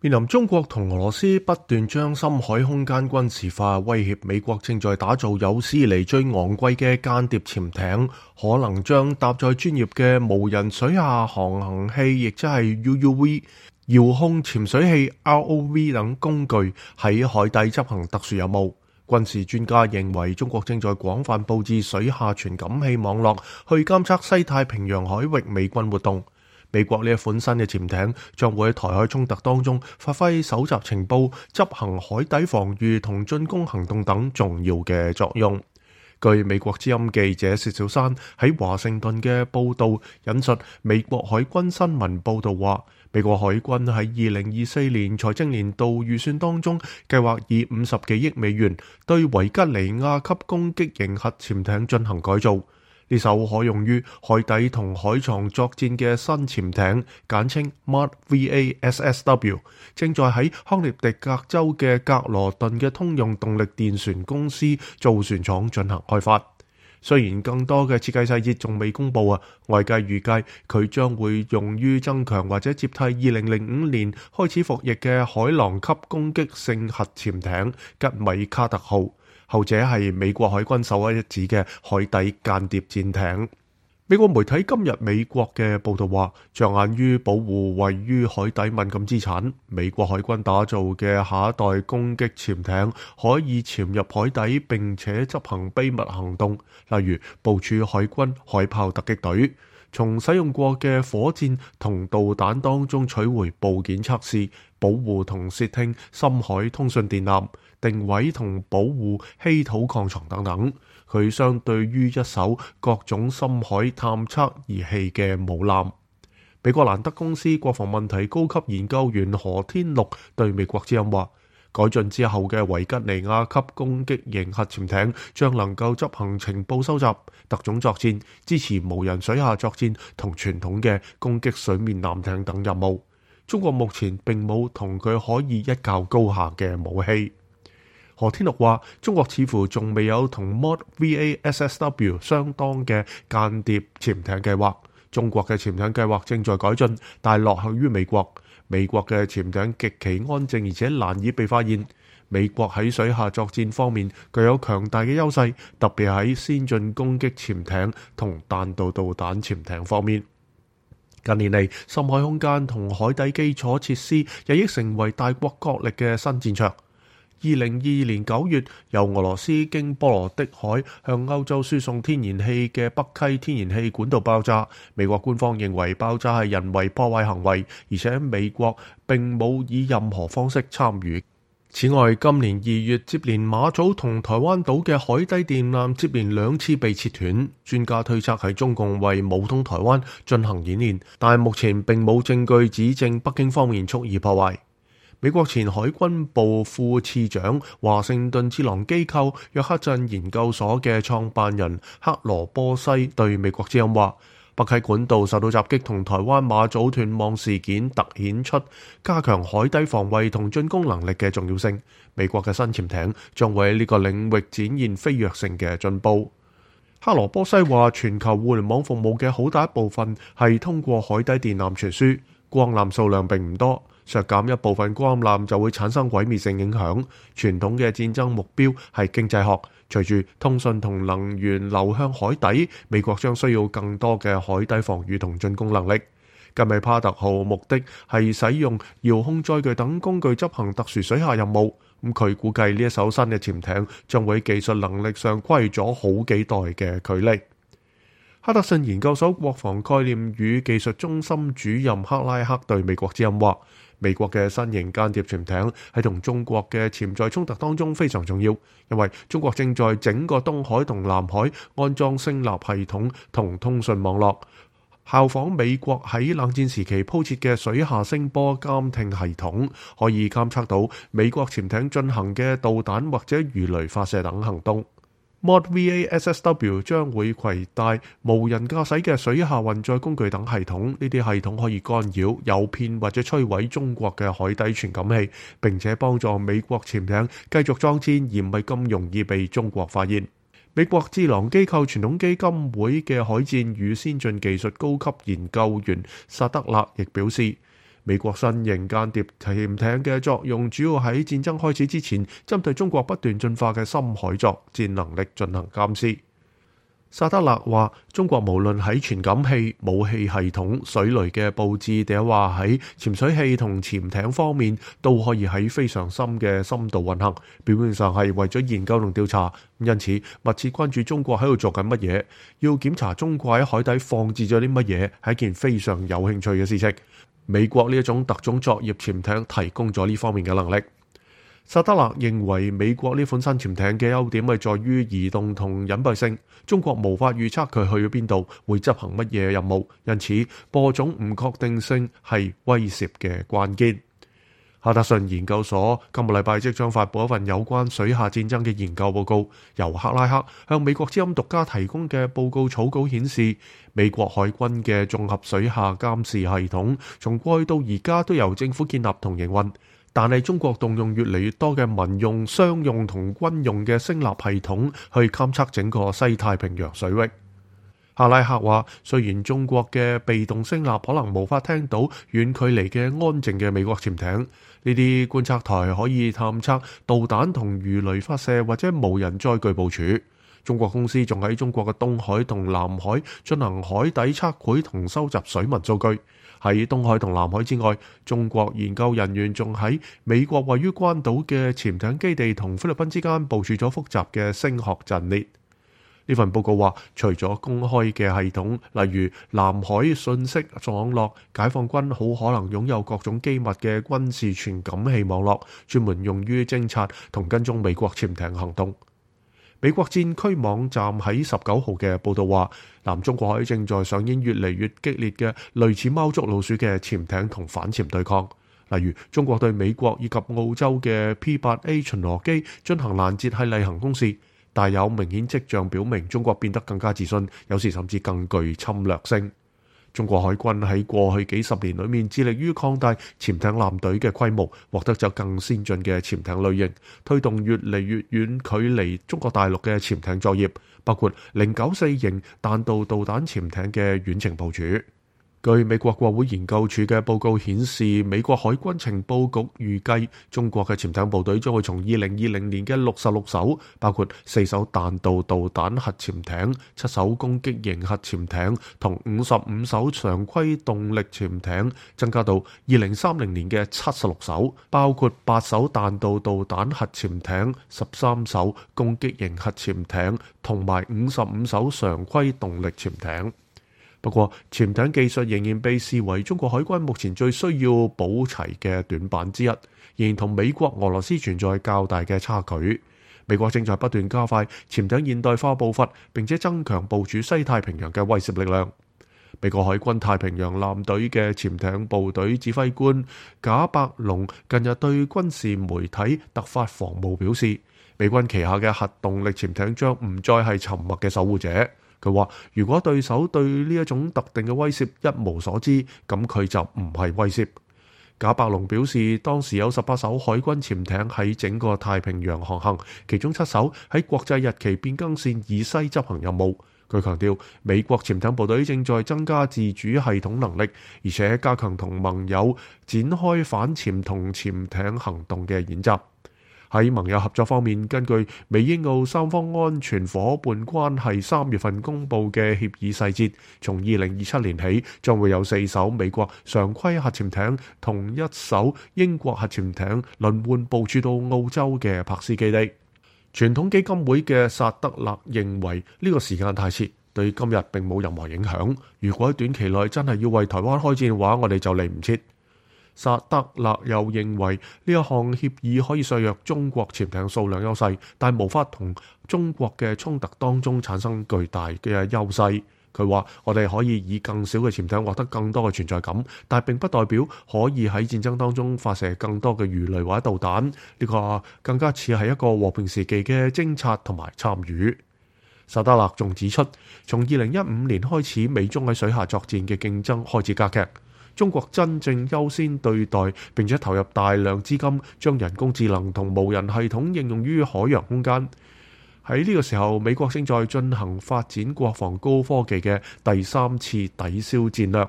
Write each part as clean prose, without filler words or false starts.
面臨中國同俄羅斯不斷將深海空間軍事化，威脅美國正在打造有史以嚟最昂貴嘅間諜潛艇，可能將搭載專業嘅無人水下航行器，亦即係 UUV、遙控潛水器 ROV 等工具喺海底執行特殊任務。軍事專家認為，中國正在廣泛佈置水下傳感器網絡，去監測西太平洋海域美軍活動。美國呢一款新嘅潛艇將會喺台海衝突當中發揮搜集情報、執行海底防禦同進攻行動等重要嘅作用。據美國之音記者薛小山喺華盛頓嘅報導引述美國海軍新聞報導話，美國海軍喺2024年財政年度預算當中計劃以50幾億美元對維吉尼亞級攻擊型核潛艇進行改造。呢艘可用於海底同海床作戰嘅新潛艇，簡稱 MOD VASSW， 正在喺康涅狄格州嘅格羅頓嘅通用動力電船公司造船廠進行開發。雖然更多嘅設計細節仲未公布，外界預計佢將會用於增強或者接替2005年開始服役嘅海狼級攻擊性核潛艇吉米卡特號。後者係美國海軍首屈一指嘅海底間諜戰艇。美國媒體今日美國嘅報導話，着眼於保護位於海底敏感資產，美國海軍打造嘅下一代攻擊潛艇可以潛入海底並且執行秘密行動，例如部署海軍海豹突擊隊，從使用過嘅火箭同導彈當中取回部件測試，保護同竊聽深海通訊電纜，定位同保護稀土礦床等等。佢相對於一艘各種深海探測儀器嘅母艦。美國蘭德公司國防問題高級研究員何天祿對美國之音話，改進之後嘅維吉尼亞級攻擊型核潛艇將能夠執行情報收集、特種作戰、支持無人水下作戰同傳統嘅攻擊水面艦艇等任務。中國目前並冇同佢可以一較高下嘅武器。何天祿話，中國似乎仲未有同 MOD VASSW 相當嘅間諜潛艇計劃。中國嘅潛艇計劃正在改進，但落後於美國。美國嘅潛艇極其安靜而且難以被發現。美國喺水下作戰方面具有強大嘅優勢，特別喺先進攻擊潛艇同彈道導彈潛艇方面。近年嚟，深海空間同海底基礎設施日益成為大國角力嘅新戰場。2022年9月，由俄羅斯經波羅的海向歐洲輸送天然氣嘅北溪天然氣管道爆炸。美國官方認為爆炸係人為破壞行為，而且美國並冇以任何方式參與。此外，今年2月接連馬祖同台灣島嘅海底電纜接連2次被切斷，專家推測係中共為武統台灣進行演練，但目前並冇證據指證北京方面蓄意破壞。美國前海軍部副次長、華盛頓智囊機構約克鎮研究所嘅創辦人克羅波西對美國之音話，北溪管道受到襲擊同台灣馬祖斷網事件突顯出加強海底防衛同進攻能力嘅重要性。美國嘅新潛艇將會喺呢個領域展現飛躍性嘅進步。克羅波西話，全球互聯網服務嘅好大一部分係通過海底電纜傳輸，光纜數量並唔多。削減一部分光纜就會產生毀滅性影響。傳統嘅戰爭目標係經濟學，隨住通訊同能源流向海底，美國將需要更多嘅海底防禦同進攻能力。吉米帕特號目的係使用遙控載具等工具執行特殊水下任務。佢估計呢一艘新嘅潛艇將會喺技術能力上跨越咗好幾代嘅距離。哈德遜研究所國防概念與技術中心主任克拉克對美國之音話，美國嘅新型間諜潛艇喺同中國嘅潛在衝突當中非常重要，因為中國正在整個東海同南海安裝聲納系統同通訊網絡，效仿美國喺冷戰時期鋪設嘅水下聲波監聽系統，可以監測到美國潛艇進行嘅導彈或者魚雷發射等行動。MOD VASSW 將會攜帶無人駕駛嘅水下運載工具等系統，呢啲系統可以干擾、誘騙或者摧毀中國嘅海底傳感器，並且幫助美國潛艇繼續作戰，而唔係咁容易被中國發現。美國智囊機構傳統基金會嘅海戰與先進技術高級研究員薩德勒亦表示，美國新型間諜潛艇嘅作用主要喺戰爭開始之前，針對中國不斷進化嘅深海作戰能力進行監視。薩德勒話：中國無論喺傳感器、武器系統、水雷嘅佈置，定係話喺潛水器同潛艇方面，都可以喺非常深嘅深度運行。表面上係為咗研究同調查，因此密切關注中國喺度做緊乜嘢，要檢查中國喺海底放置咗啲乜嘢，係一件非常有興趣嘅事情。美國呢一種特種作業潛艇提供咗呢方面嘅能力。薩德勒認為美國呢款新潛艇嘅優點係在於移動同隱蔽性，中國無法預測佢去咗邊度，會執行乜嘢任務，因此播種唔確定性係威懾嘅關鍵。哈德遜研究所今個禮拜即將發佈一份有關水下戰爭嘅研究報告，由克拉克向美國之音獨家提供嘅報告草稿顯示，美國海軍嘅綜合水下監視系統從過去到而家都由政府建立同營運。但係中國動用越嚟越多嘅民用、商用同軍用嘅聲納系統去監測整個西太平洋水域。克拉克話，雖然中國嘅被動聲納可能無法聽到遠距離嘅安靜嘅美國潛艇，呢啲觀測台可以探測導彈同魚雷發射或者無人載具部署。中國公司仲喺中國嘅東海同南海進行海底測繪同收集水文數據。喺東海同南海之外，中國研究人員仲喺美國位於關島嘅潛艇基地同菲律賓之間部署咗複雜嘅聲學陣列。呢份報告話，除咗公開嘅系統，例如南海信息網絡，解放軍好可能擁有各種機密嘅軍事傳感器網絡，專門用於偵察同跟蹤美國潛艇行動。美國戰區網站喺19號嘅報導話，南中國海正在上演越嚟越激烈嘅類似貓捉老鼠嘅潛艇同反潛對抗。例如，中國對美國以及澳洲嘅 P-8A 巡邏機進行攔截係例行公事，但有明顯跡象表明中國變得更加自信，有時甚至更具侵略性。中國海軍喺過去幾十年裏面致力於擴大潛艇艦隊嘅規模，獲得咗更先進嘅潛艇類型，推動越嚟越遠距離中國大陸嘅潛艇作業，包括094型彈道導彈潛艇嘅遠程部署。據美國國會研究處嘅報告顯示，美國海軍情報局預計中國嘅潛艇部隊將會從2020年嘅66艘，包括4艘彈道導彈核潛艇、7艘攻擊型核潛艇同55艘常規動力潛艇，增加到2030年嘅76艘，包括8艘彈道導彈核潛艇、13艘攻擊型核潛艇同埋55艘常規動力潛艇。不過，潛艇技術仍然被視為中國海軍目前最需要補齊嘅短板之一，仍然同美國、俄羅斯存在較大嘅差距。美國正在不斷加快潛艇現代化步伐，並且增強部署西太平洋嘅威懾力量。美國海軍太平洋艦隊嘅潛艇部隊指揮官賈伯龍近日對軍事媒體突發防務表示，美軍旗下嘅核動力潛艇將唔再係沉默嘅守護者。佢話：如果對手對呢一種特定嘅威懾一無所知，咁佢就唔係威懾。賈伯龍表示，當時有18艘海軍潛艇喺整個太平洋航行，其中7艘喺國際日期變更線以西執行任務。佢強調，美國潛艇部隊正在增加自主系統能力，而且加強同盟友展開反潛同潛艇行動嘅演習。喺盟友合作方面，根據美英澳三方安全夥伴關係3月份公佈嘅協議細節，從2027年起，將會有4艘美國常規核潛艇同1艘英國核潛艇輪換部署到澳洲嘅柏斯基地。傳統基金會嘅薩德勒認為呢個時間太遲，對今日並冇任何影響。如果喺短期內真係要為台灣開戰嘅話，我哋就嚟唔切。薩德勒又認為呢一項協議可以削弱中國潛艇數量優勢，但無法同中國嘅衝突當中產生巨大嘅優勢。佢話：我哋可以以更少嘅潛艇獲得更多嘅存在感，但並不代表可以喺戰爭當中發射更多嘅魚雷或者導彈。呢個更加似係一個和平時期嘅偵察同埋參與。薩德勒仲指出，從2015年開始，美中喺水下作戰嘅競爭開始加劇。中國真正優先對待並且投入大量資金，將人工智能同無人系統應用於海洋空間。喺呢個時候，美國正在進行發展國防高科技嘅第3次抵消戰略。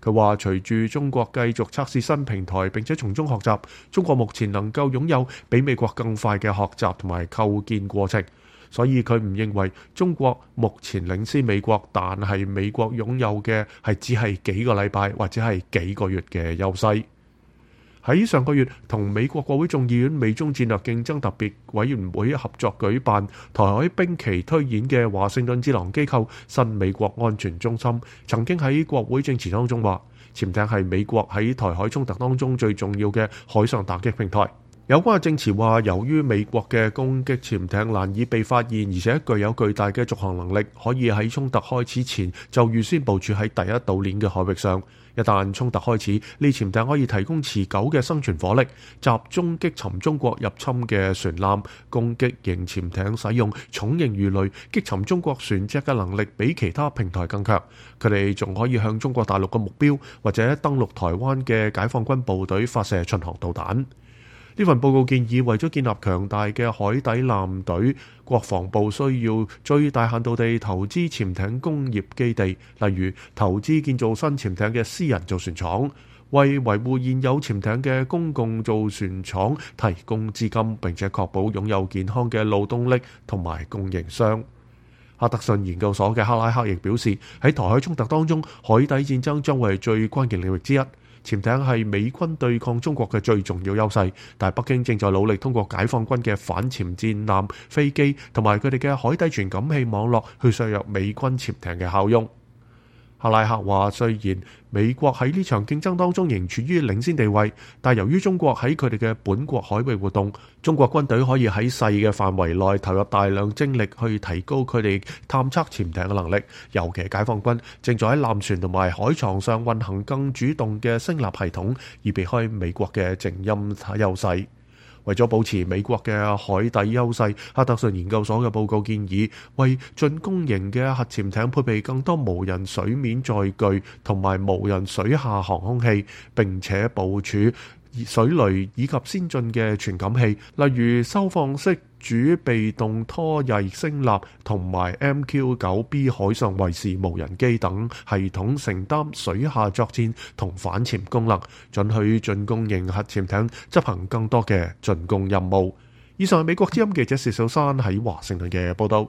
佢話隨住中國繼續測試新平台並且從中學習，中國目前能夠擁有比美國更快嘅學習同埋構建過程，所以佢唔認為中國目前領先美國，但係美國擁有嘅係只係幾個禮拜或者係幾個月嘅優勢。喺上個月同美國國會眾議院美中戰略競爭特別委員會合作舉辦台海兵棋推演嘅華盛頓智囊機構新美國安全中心曾經喺國會證詞當中話，潛艇係美國喺台海衝突當中最重要嘅海上打擊平台。有關嘅證詞話，由於美國嘅攻擊潛艇難以被發現，而且具有巨大嘅續航能力，可以喺衝突開始前就預先部署喺第一島鏈嘅海域上。一旦衝突開始，呢潛艇可以提供持久嘅生存火力，集中擊沉中國入侵嘅船艦。攻擊型潛艇使用重型魚雷擊沉中國船隻嘅能力比其他平台更強。佢哋仲可以向中國大陸嘅目標或者登陸台灣嘅解放軍部隊發射巡航導彈。呢份報告建議，為咗建立強大嘅海底艦隊，國防部需要最大限度地投資潛艇工業基地，例如投資建造新潛艇嘅私人造船廠，為維護現有潛艇嘅公共造船廠提供資金，並且確保擁有健康嘅勞動力同埋供應商。哈德遜研究所嘅克拉克亦表示，喺台海衝突當中，海底戰爭將會係最關鍵領域之一。潛艇係美軍對抗中國嘅最重要優勢，但係北京正在努力通過解放軍嘅反潛戰艦、飛機同埋佢哋嘅海底傳感器網絡去削弱美軍潛艇嘅效用。克拉克話，雖然美國喺呢場競爭當中仍處於領先地位，但由於中國喺佢哋嘅本國海域活動，中國軍隊可以喺細嘅範圍內投入大量精力去提高佢哋探測潛艇嘅能力。尤其解放軍正在喺艦船同埋海床上運行更主動嘅聲納系統，以避開美國嘅靜音優勢。為咗保持美國嘅海底優勢，哈德遜研究所嘅報告建議為進攻型嘅核潛艇配備更多無人水面載具同埋無人水下航空器，並且部署水雷以及先進嘅傳感器，例如收放式主被動拖曳聲納同埋 MQ-9B 海上衛士無人機等系統，承擔水下作戰同反潛功能，准許進攻型核潛艇執行更多嘅進攻任務。以上係美國之音記者薛小山喺華盛頓嘅報道。